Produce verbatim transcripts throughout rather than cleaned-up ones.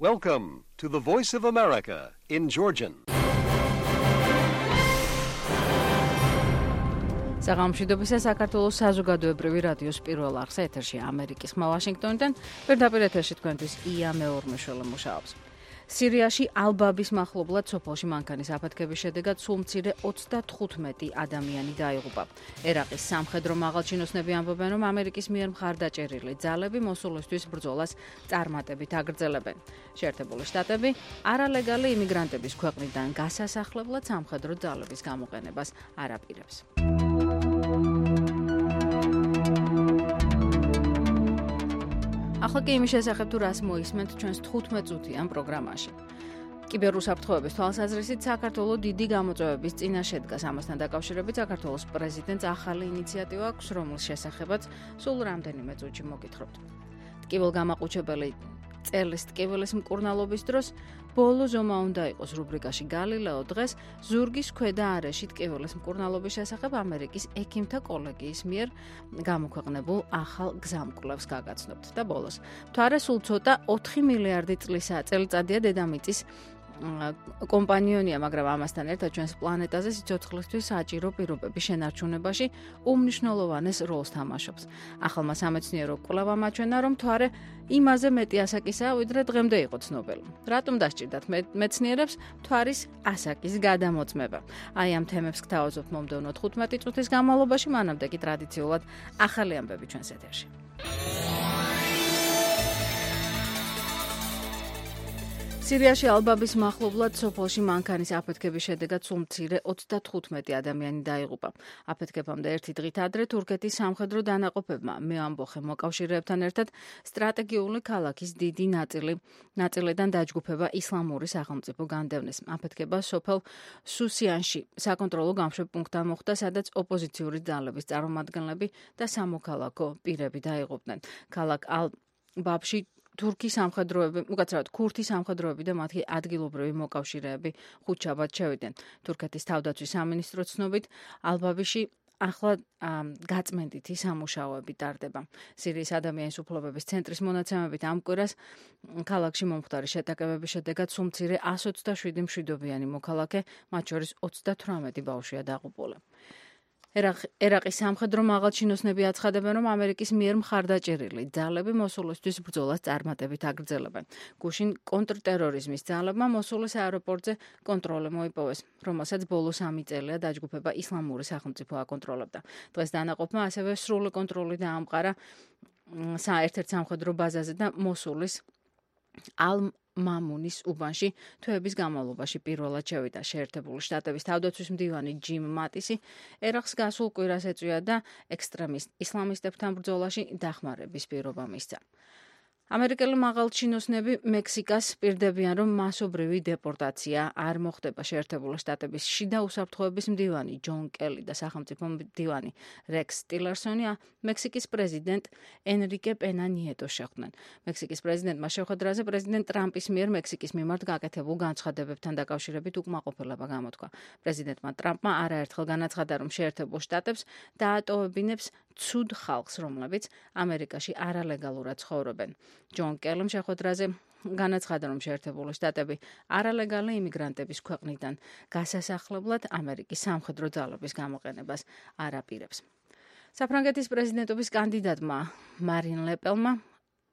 Welcome to the Voice of America in Georgian. საღამოშიდობისა საქართველოს საზოგადოებრივი რადიოს პირველ არხზე ეთერში ამერიკის ხმა ვაშინგტონიდან პირდაპირ ეთერში თქვენთვის ია მეორმეშველი მუშაობს. სირიაში ალბაბის მახლობლად სოფელში მანქანის აფეთქების შედეგად სულ მცირე ოცდათხუთმეტი ადამიანი დაიღუპა. ერაყის სამხედრო მაღალჩინოსნები ამბობენ, რომ ამერიკის მიერ მხარდაჭერილი ძალები მოსულისთვის ბრძოლას წარმატებით აგრძელებენ. შეერთებული შტატები არალეგალი იმიგრანტების ქვეყნიდან გასასახლებლად სამხედრო ძალების გამოყენებას არ აპირებს. ახლა კი იმის შესახებ თუ რას მოისმენთ ჩვენს თხუთმეტ წუთიან პროგრამაში. კიბერუსაფრთხოების თვალსაზრისით საქართველოს დიდი გამოწვევების წინაშე შედგას. ამასთან დაკავშირებით საქართველოს პრეზიდენტს ახალი ინიციატივა აქვს, რომლის შესახებაც სულ რამდენიმე წუთში მოგითხრობთ. ტკივილგამაყუჩებელი წელს ტკივილის მკურნალობის დროს ბოლო ზომა უნდა იყოს რუბრიკაში გალილეო. დღეს ზურგის ქვედა არეში ტკივილის მკურნალობის შესახებ ამერიკის ექიმთა კოლეგიის მიერ გამოქვეყნებულ ახალ გზამკვლევს გაგაცნობთ და ბოლოს მთვარე სულ ცოტა ოთხი მილიარდი წელიწადია დედამიწის კომპანიონია, მაგრამ ამასთან ერთად ჩვენს პლანეტაზე სიცოცხლისთვის საჭირო პირობების შენარჩუნებაში უმნიშვნელოვანეს როლს თამაშობს. ახალმა სამეცნიერო კვლევამ აჩვენა, რომ მთვარე იმაზე მეტი ასაკისაა, ვიდრე დღემდე იყო ცნობილი. რატომ დასჭირდათ მეცნიერებს მთვარის ასაკის გადამოწმება? აი ამ თემებს გთავაზობთ მომდევნო თხუთმეტი წუთის განმავლობაში, მანამდე კი ტრადიციულად ახალი ამბები ჩვენს ეთერში. სირიაში ალბაბის მახლობლად სოფელში მანქანის აფეთქების შედეგად სულ მცირე ოცდათხუთმეტი ადამიანი დაიღუპა. აფეთქებამდე ერთი დღით ადრე თურქეთის სამხედრო დანაყოფებმა მეამბოხე მოკავშირეებთან ერთად სტრატეგიული ქალაქის დიდი ნაწილი ნაწილიდან დაჯგუფება ისლამური სახელმწიფო განდევნეს. აფეთქება სოფელ სუსიანში საკონტროლო გამშვებ პუნქტთან მოხდა, სადაც ოპოზიციური ძალების წარმომადგენლები და სამოქალაქო პირები დაიღუპნენ. ქალაქ ალ-ბაბში თურქი სამხედროები, უკაცრავად ქურთი სამხედროები და მათი ადგილობრივი მოკავშირეები ხუთშაბათ შევიდნენ. თურქეთის თავდაცვის სამინისტროს ცნობით, ალბაბიში ახლა გაწმენდითი სამუშაოები ტარდება. სირიის ადამიანის უფლებების ცენტრის მონაცემებით ამ კვირას ქალაქში მომხდარი შეტაკებების შედეგად სულ მცირე ასი ოცდაშვიდი მშვიდობიანი მოქალაქე, მათ შორის ოცდათვრამეტი ბავშვია დაღუპული. ერაყის სამხედრო მაღალჩინოსნები აცხადებენ, რომ ამერიკის მიერ მხარდაჭერილი ძალები მოსულისთვის ბრძოლას წარმატებით აგრძელებენ. გუშინ კონტრტერორიზმის ძალებმა მოსულის აეროპორტზე კონტროლი მოიპოვეს, რომელსაც ბოლო სამი წელია დაჯგუფება ისლამური სახელმწიფო აკონტროლებდა. დღეს დანაყოფმა ასევე სრული კონტროლი დაამყარა ერთ-ერთ სამხედრო ბაზაზე და მოსულის ალ მამუნის უბანში თვეების განმავლობაში პირველად შევიდა. შეერთებული შტატების თავდაცვის მდივანი ჯიმ მატისი ერაყს გასულ კვირას ეწვია და ექსტრემისტ ისლამისტებთან ბრძოლაში დახმარების პირობა მისცა. ამერიკელი მაღალჩინოსნები მექსიკას პირდებიან, რომ მასობრივი დეპორტაცია არ მოხდება. შეერთებული შტატების შიდა უსაფრთხოების მდივანი ჯონ კელი და სახელმწიფო მდივანი რექს ტილერსონი მექსიკის პრეზიდენტ ენრიკე პენა ნიეტოს შეხვდნენ. მექსიკის პრეზიდენტმა შეხვედრაზე პრეზიდენტ ტრამპის მიერ მექსიკის მიმართ გაკეთებულ განცხადებებთან დაკავშირებით უკმაყოფილება გამოთქვა. პრეზიდენტმა ტრამპმა არაერთხელ განაცხადა, რომ შეერთებულ შტატებს დაატოვებინებს ცუდ ხალხს, რომლებიც ამერიკაში არალეგალურად ცხოვრობენ. ჯონ კელიმ შეხვედრაზე განაცხადა, რომ შეერთებული შტატები არალეგალი იმიგრანტების ქვეყნიდან გასასახლებლად ამერიკის სამხედრო ძალების გამოყენებას არ აპირებს. საფრანგეთის პრეზიდენტობის კანდიდატმა მარინ ლე პენმა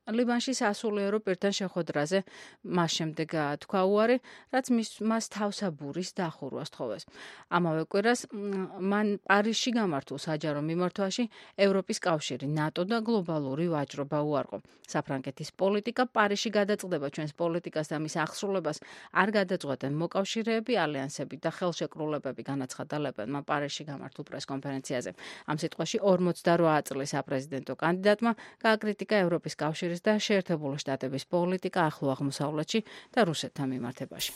ლიბანში სასულიერო პირთან შეხვედრაზე მას შემდეგ თქვა უარი, რაც მას თავსაბურის დახურვა სთხოვეს. ამავე კვირას მან პარიზში გამართულ საჯარო მიმართვაში ევროპის კავშირი, ნატო და გლობალური ვაჭრობა უარყო. საფრანგეთის პოლიტიკა პარიზში გადაწყდება ჩვენს პოლიტიკას და მის აღსრულებას არ გადაწყვეტენ მოკავშირეები, ალიანსები და ხელშეკრულებები, განაცხადა ლე პენმა პარიზში გამართულ პრესკონფერენციაზე. ამ სიტყვაში ორმოცდარვა წლის საპრეზიდენტო კანდიდატმა გააკრიტიკა ევროპის კავშირის და შეერთებული შტატების პოლიტიკა ახლო აღმოსავლეთში და რუსეთთან მიმართებაში.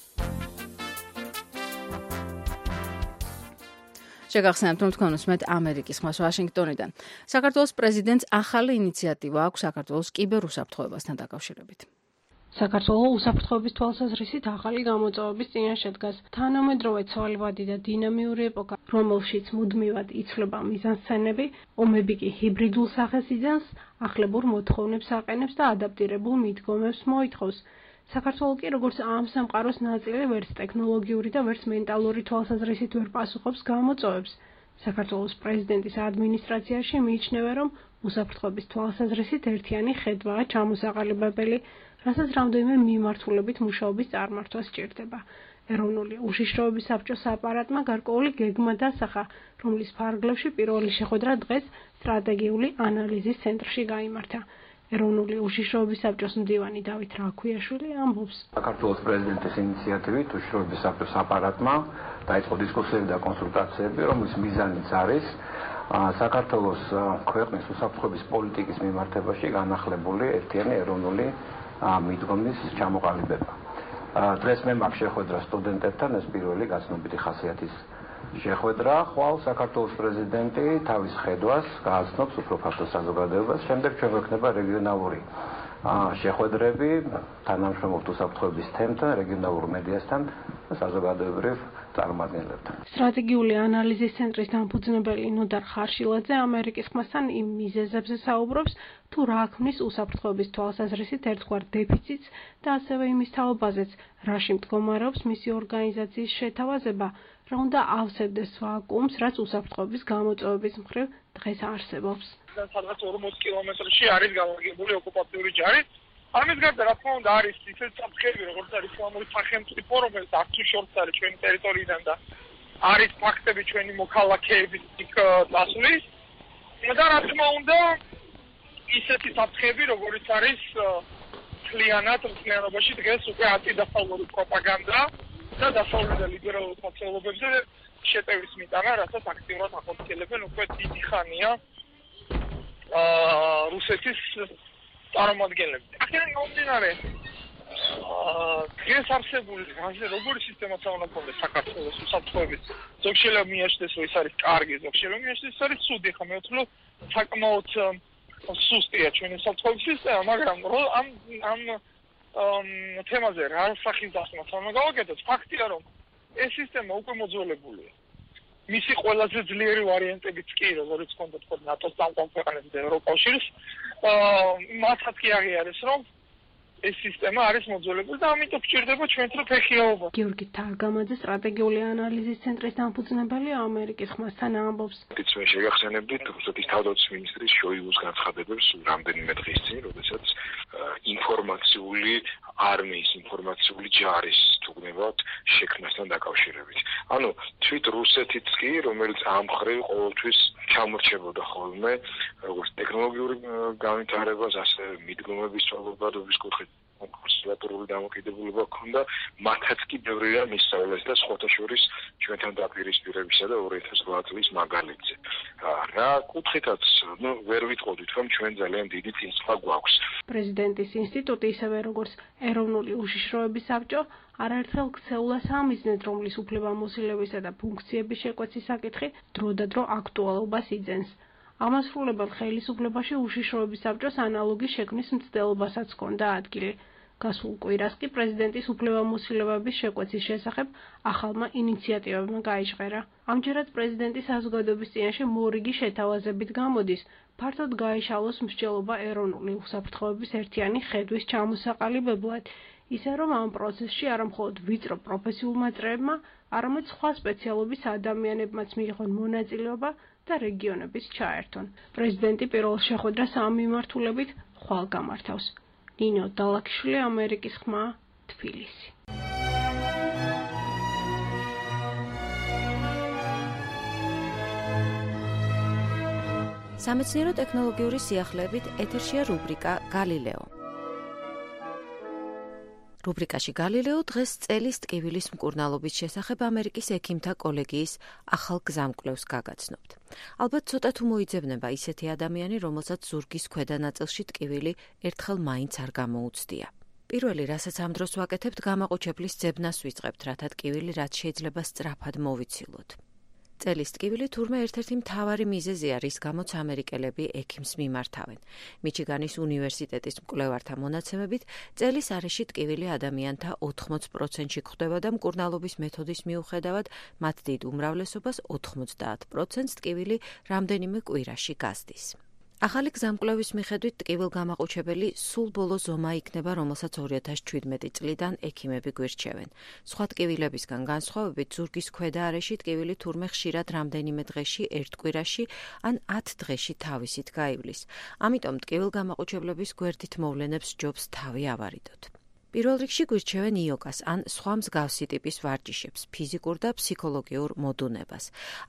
შეგახსენებთ, რომ თქვენ უსმენთ ამერიკის ხმას ვაშინგტონიდან. საქართველოს პრეზიდენტს ახალი ინიციატივა აქვს საქართველოს კიბერუსაფრთხოებასთან დაკავშირებით. საქართველოს უსაფრთხოების თვალსაზრისით ახალი გამოწვევების წინაშე დგას თანამედროვე ცვალებადი და დინამიური ეპოქა, რომელშიც მუდმივად იცვლება მიზანსცენები, ომები კი ჰიბრიდულ სახეს იძენს, ახლებურ მოთხოვნებს აყენებს და ადაპტირებულ მიდგომებს მოითხოვს. საქართველოს კი როგორც ამ სამყაროს ნაწილი ვერც ტექნოლოგიური და ვერც მენტალური თვალსაზრისით ვერ პასუხობს გამოწვევებს. საქართველოს პრეზიდენტის ადმინისტრაციაში მიიჩნევა, რომ უსაფრთხოების თვალსაზრისით ერთიანი ხედვაა ჩამოსაყალიბებელი, რასაც რამდენიმე მიმართულებით მუშაობის წარმართვა სჭირდება. ეროვნული უშიშროების საბჭოს აპარატმა გარკვეული გეგმა დასახა, რომლის ფარგლებში პირველი შეხვედრა დღეს სტრატეგიული ანალიზის ცენტრში გაიმართა. ეროვნული უშიშროების საბჭოს მდივანი დავით რაქვიაშვილი ამბობს. საქართველოს პრეზიდენტის ინიციატივით უშიშროების საბჭოს აპარატმა დაიწყო დისკუსიები და კონსულტაციები, რომლის მიზანიც არის საქართველოს ქვეყნის უსაფრთხოების პოლიტიკის მიმართებაში განახლებული ერთიანი ეროვნული მიდგომის ჩამოყალიბება. დღეს მე მაქვს შეხვედრა სტუდენტებთან, ეს პირველი გაცნობიტი ხასიათის შეხვედრა, ხვალ საქართველოს პრეზიდენტი თავის ხედვას გააცნობს უფრო ფართო საზოგადოებას, შემდეგ ჩვენ გვექნება რეგიონალური შეხვედრები თანამშრომლობთ უსაფრთხოების თემთან, რეგიონალურ მედიასთან და საზოგადოებრივ წარმომადგენლებთან. სტრატეგიული ანალიზის ცენტრის დამფუძნებელი ნოდარ ხარშილაძე ამერიკის ხმასთან იმ მიზეზებზე საუბრობს, თუ რა ქმნის უსაფრთხოების თვალსაზრისით ერთგვარ დეფიციტს და ასევე იმის თაობაზეც, რაში მდგომარეობს მისი ორგანიზაციის შეთავაზება, რა უნდა ავსებდეს ვაკუუმს, რაც უსაფრთხოების გამოწვევების მხრივ დღეს არსებობს. სადღაც ორმოც კილომეტრში არის განლაგებული ოკუპაციური ჯარი. ამის გარდა, რა თქმა უნდა, არის ისეთი საფრთხეები, როგორც არის ისლამური სახელმწიფო, რომელიც აქ თუ შორს არის ჩვენი ტერიტორიიდან და არის ფაქტები ჩვენი მოქალაქეების იქ დასვლის. და რა თქმა უნდა, ისეთი საფრთხეები, როგორც არის მთლიანად მთლიანობაში დღეს უკვე ანტიდასავლური პროპაგანდა და დასავლური და ლიბერალურ სოციალობებზე შეტევის მიტანა, რასაც აქტიურად ახორციელებენ უკვე დიდი ხანია რუსეთის წარმომადგენლები. აქედან გამომდინარე, დღეს არსებული როგორი სისტემაც უნდა გქონდეს საქართველოს უსაფრთხოების, ზოგ შეიძლება მიაჩნდეს, რომ ის არის კარგი, ზოგ შეიძლება მიაჩნდეს, ის არის ცუდი. ხა მე ვთვლი, საკმაოდ სუსტია ჩვენი უსაფრთხოების სისტემა, მაგრამ ამ ამ თემაზე რა სახის დასმას უნდა გავაკეთოთ? ფაქტია, რომ ეს სისტემა უკვე მოძველებულია. მისი ყველაზე ძლიერი ვარიანტებიც კი, როგორც ჰქონდა თქო ნატოს წამყვან ქვეყნებს და ევროკავშირს, მათაც კი აღიარეს, რომ ეს სისტემა არის მოძველებული და ამიტომ გვჭირდება ჩვენთვის ფეხიაობა. გიორგი თარგამაძე სტრატეგიული ანალიზის ცენტრის დამფუძნებელი ამერიკის ხმასთან ამბობს. მე შეგახსენებდით რუსეთის თავდაცვის მინისტრის შოიგუს განცხადებებს რამდენიმე დღის წინ, როდესაც ინფორმაციული არმიის, ინფორმაციული ჯარის თუგნებად შექმნასთან დაკავშირებით. ანუ თვით რუსეთიც კი, რომელიც ამ მხრივ ყოველთვის ჩამორჩებოდა ხოლმე, როგორც ტექნოლოგიური განვითარებას, ასე მიდგომების ცვალებადობის კუთხით კონსერვატორული დამოკიდებულება ჰქონდა, მათაც კი ბევრი რამ ისწავლეს და სხვათა შორის ჩვენთან დაპირისპირებისა და ორი ათას ოთხ წლის მაგალითზე. რა კუთხითაც, ნუ ვერ ვიტყოდით, რომ ჩვენ ძალიან დიდი წინსვლა გვაქვს. პრეზიდენტის ინსტიტუტი, ისევე როგორც ეროვნული უშიშროების საბჭო, არაერთხელ ქცეულას ამიზნეთ, რომლის უფლებამოსილებისა და ფუნქციების შეკვეცის საკითხი დრო და დრო აქტუალობას იძენს. ამასრულებელ ხელისუფლებაში უშიშროების საბჭოს ანალოგის შექმნის მცდელობასაც ჰქონდა ადგილი. გასულ კვირას კი პრეზიდენტის უფლებამოსილებების შეკვეცის შესახებ ახალმა ინიციატივებმა გაიჟღერა. ამჯერად პრეზიდენტის საზოგადოების წინაშე მორიგი შეთავაზებით გამოდის, ფართოდ გაეშალოს მსჯელობა ეროვნული უსაფრთხოების ერთიანი ხედვის ჩამოსაყალიბებლად, ისე რომ ამ პროცესში არა მხოლოდ ვიწრო პროფესიულმა წრეებმა, არამედ სხვა სპეციალობის ადამიანებმაც მიიღონ მონაწილეობა და რეგიონების ჩაერთონ. პრეზიდენტი პირველ შეხვედრას ამ მიმართულებით ხვალ გამართავს. ნინო დალაქიშვილი, ამერიკის ხმა, თბილისი. სამეცნიერო ტექნოლოგიური სიახლეებით ეთერშია რუბრიკა გალილეო. რუბრიკაში გალილეო დღეს წელის ტკივილის მკურნალობის შესახებ ამერიკის ექიმთა კოლეგიის ახალ გზამკვლევს გაგაცნობთ. ალბათ ცოტა თუ მოიძებნება ისეთი ადამიანი, რომელსაც ზურგის ქვედა ნაწილში ტკივილი ერთხელ მაინც არ გამოუცდია. პირველი, რასაც ამ დროს ვაკეთებთ, გამაყუჩებლის ძებნას ვიწყებთ, რათა ტკივილი რაც შეიძლება სწრაფად მოვიცილოთ. წელის ტკივილი თურმე ერთ-ერთი მთავარი მიზეზია, რის გამოც ამერიკელები ექიმს მიმართავენ. მიჩიგანის უნივერსიტეტის მკვლევართა მონაცემებით, წელის არეში ტკივილი ადამიანთა ოთხმოც პროცენტში გვხვდება და მკურნალობის მეთოდის მიუხედავად, მათ დიდ უმრავლესობას ოთხმოცდაათ პროცენტს ტკივილი რამდენიმე კვირაში გასდის. ახალი გზამკვლევის მიხედვით ტკივილგამაყუჩებელი სულ ბოლო ზომა იქნება, რომელსაც ორი ათას ჩვიდმეტი წლიდან ექიმები გვირჩევენ. სხვა ტკივილებისგან განსხვავებით, ზურგის ქვედა არეში ტკივილი თურმე ხშირად რამდენიმე დღეში, ერთ კვირაში ან ათ დღეში თავისით გაივლის. ამიტომ ტკივილგამაყუჩებლების გვერდით მოვლენებს ჯობს თავი ავარიდოთ. პირველ რიგში გვირჩევენ იოგას ან სხვა მსგავსი ტიპის ვარჯიშებს, ფიზიკურ და ფსიქოლოგიურ მოდუნებას.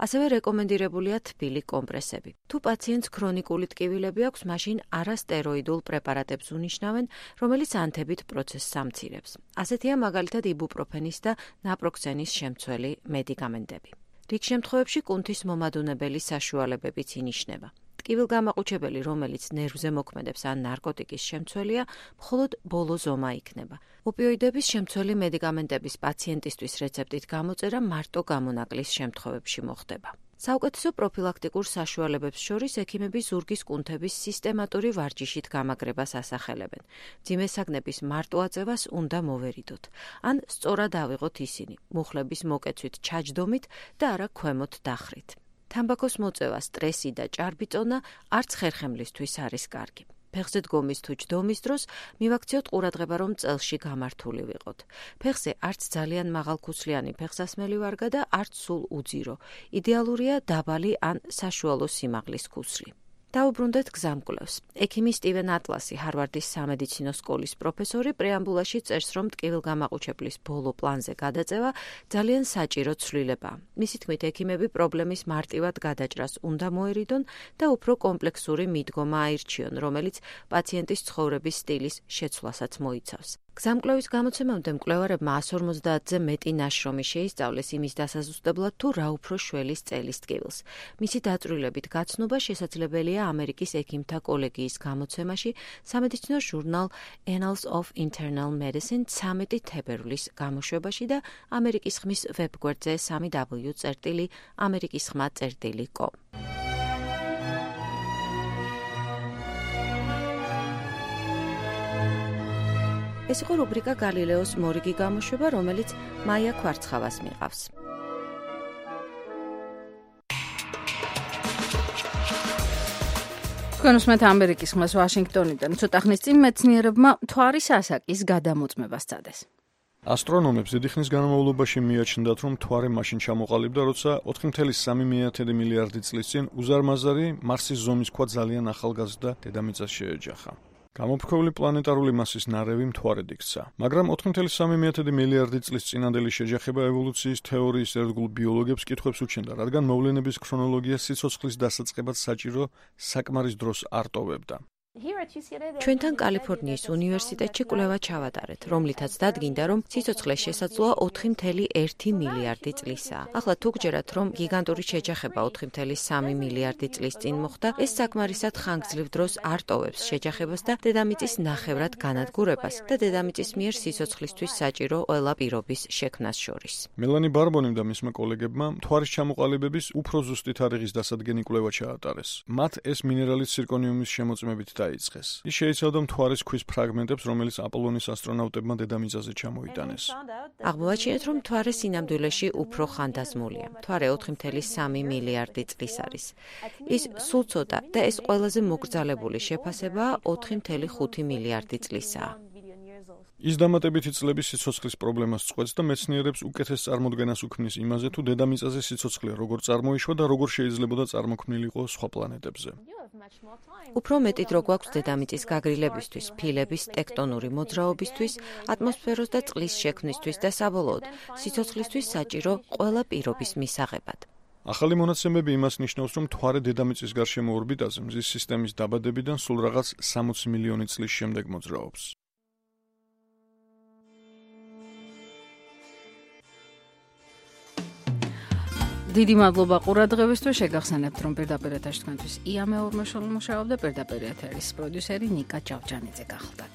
ასევე რეკომენდირებულია თბილი კომპრესები. თუ პაციენტს ქრონიკული ტკივილები აქვს, მაშინ არასტეროიდულ პრეპარატებს უნიშნავენ, რომელიც ანთებით პროცესს ამცირებს. ასეთია მაგალითად იბუპროფენის და ნაპროქსენის შემცველი მედიკამენტები. რიგ შემთხვევებში კუნთის მომადუნებელი საშუალებებიც ინიშნება. ტკივილგამაყუჩებელი, რომელიც ნერვზე მოქმედებს ან ნარკოტიკის შემცველია, მხოლოდ ბოლო ზომა იქნება. ოპიოიდების შემცველი მედიკამენტების პაციენტისთვის რეცეპტით გამოწერა მარტო გამონაკლის შემთხვევებში მოხდება. საუკეთესო პროფილაქტიკურ საშუალებებს შორის ექიმები ზურგის კუნთების სისტემატური ვარჯიშით გამაგრებას ასახელებენ. მძიმე საგნების მარტო აწევას უნდა მოვერიდოთ, ან სწორად ავიღოთ ისინი, მუხლების მოკეცვით ჩაჯდომით და არა ქვემოთ დახრით. თამბაქოს მოწევა, სტრესი და ჭარბიწონა არც ხერხემლისთვის არის კარგი. ფეხზე დგომის თუ ჯდომის დროს მივაქციოთ ყურადღება, რომ წელში გამართული ვიყოთ. ფეხზე არც ძალიან მაღალქუსლიანი ფეხსასმელი ვარგა და არც სულ უძირო. იდეალურია დაბალი ან საშუალო სიმაღლის ქუსლი. დაუბრუნდეთ გზამკვლევს. ექიმი სტივენ ატლასი, ჰარვარდის სამედიცინო სკოლის პროფესორი, პრეამბულაში წერს, რომ ტკივილგამაყუჩებლის ბოლო პლანზე გადაწევა ძალიან საჭირო ცვლილებაა. მისი თქმით, ექიმები პრობლემის მარტივად გადაჭრას უნდა მოერიდონ და უფრო კომპლექსური მიდგომა აირჩიონ, რომელიც პაციენტის ცხოვრების სტილის შეცვლასაც მოიცავს. გზამკვლევის გამოცემამდე მკვლევარებმა ას ორმოცდაათზე მეტი ნაშრომი შეისწავლეს იმის დასაზუსტებლად, თუ რა უფრო შველის წელის ტკივილს. მისი დაწვრილებით გაცნობა შესაძლებელია ამერიკის ექიმთა კოლეგიის გამოცემაში სამედიცინო ჟურნალ Annals of Internal Medicine ცამეტი თებერვლის გამოშვებაში და ამერიკის ხმის ვებგვერდზე სამი დაბლიუ წერტილი ამერიკის ხმა წერტილი კომ. ეს იყო რუბრიკა გალილეოს მორიგი გამოშვება, რომელიც მაია ქვარცხავას მიყავს. თქვენ უსმენთ ამერიკის ხმას ვაშინგტონიდან. ცოტა ხნის წინ მეცნიერებმა მთვარის ასაკის გადამოწმება სცადეს. ასტრონომებს დიდი ხნის განმავლობაში მიაჩნდათ, რომ მთვარე მაშინ ჩამოყალიბდა, როცა ოთხი კoma სამი მილიარდი წლის წინ უზარმაზარი მარსის ზომის ქვა ძალიან ახალგაზრდა დედამიწას შეეჯახა. გამოფრქვეული პლანეტარული მასის ნარევი მთვარედ იქცა. მაგრამ ოთხი კoma სამი მილიარდი წლის წინანდელი შეჯახება evолუციის თეორიის ერთგულ ბიოლოგებს კითხვებს უჩენდა, რადგან მოვლენების ქრონოლოგია სიცოცხლის დასაწყებად საჭირო საკმარის დროს არ ტოვებდა. ჩვენთან კალიფორნიის უნივერსიტეტში კვლევა ჩავატარეთ, რომლითაც დადგინდა, რომ სიცოცხლეს შესაძლოა ოთხი კoma ერთი მილიარდი წლისაა. ახლა თუ გჯერათ, რომ გიგანტური შეჯახება ოთხი კoma სამი მილიარდი წლის წინ მოხდა, ეს საკმარისად ხანგრძლივ დროს არ ტოვებს შეჯახებას და დედამიწის ნახევრად განადგურებას და დედამიწის მიერ სიცოცხლისთვის საჭირო ყველა პირობის შექმნას შორის. მელანი ბარბონიმ და მისმა კოლეგებმა მთვარის ჩამოყალიბების უფრო ზუსტი თარიღის დასადგენი კვლევა ჩაატარეს. მათ ეს მინერალის ცირკონიუმის შემოწმებით დაიწყეს. ის შეიცავდა მთვარის ქვის ფრაგმენტებს, რომელიც აპოლონის ასტრონავტებმა დედამიწაზე ჩამოიტანეს. აღმოვაჩინეთ, რომ მთვარე სინამდვილეში უფრო ხანდაზმულია. მთვარე ოთხი კoma სამი მილიარდი წლის არის. ის სულ ცოტა და ეს ყველაზე მოკრძალებული შეფასებაა ოთხი კoma ხუთი მილიარდი წლისაა. ის დამატებითი წლების სიცოცხლის პრობლემას წყვეტს და მეცნიერებს უკეთეს წარმოდგენას უქმნის იმაზე, თუ დედამიწაზე სიცოცხლე როგორ წარმოიშვა და როგორ შეიძლებოდა წარმოქმნილიყო სხვა პლანეტებზე. უფრო მეტი დრო გვაქვს დედამიწის გაგრილებისთვის, ფილების ტექტონური მოძრაობისთვის, ატმოსფეროს და წყლის შექმნისთვის და საბოლოოდ სიცოცხლისთვის საჭირო ყველა პირობის მისაღებად. ახალი მონაცემები იმას ნიშნავს, რომ მთვარე დედამიწის გარშემო ორბიტაზე მზის სისტემის დაბადებიდან სულ რაღაც სამოცი მილიონი წლის შემდეგ მოძრაობს. დიდი მადლობა ყურადღებისთვის. შეგახსენებთ, რომ პირდაპირ ეთერში თქვენთვის ია მეორმოშელი მუშაობდა, პირდაპირ ეთერის პროდიუსერი ნიკა ჭავჭანიძე გახლდათ.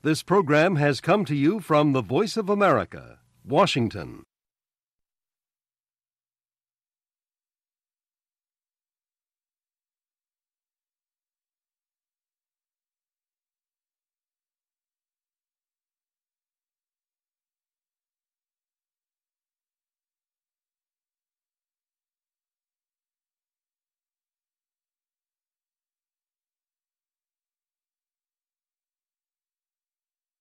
This program has come to you from the Voice of America, Washington.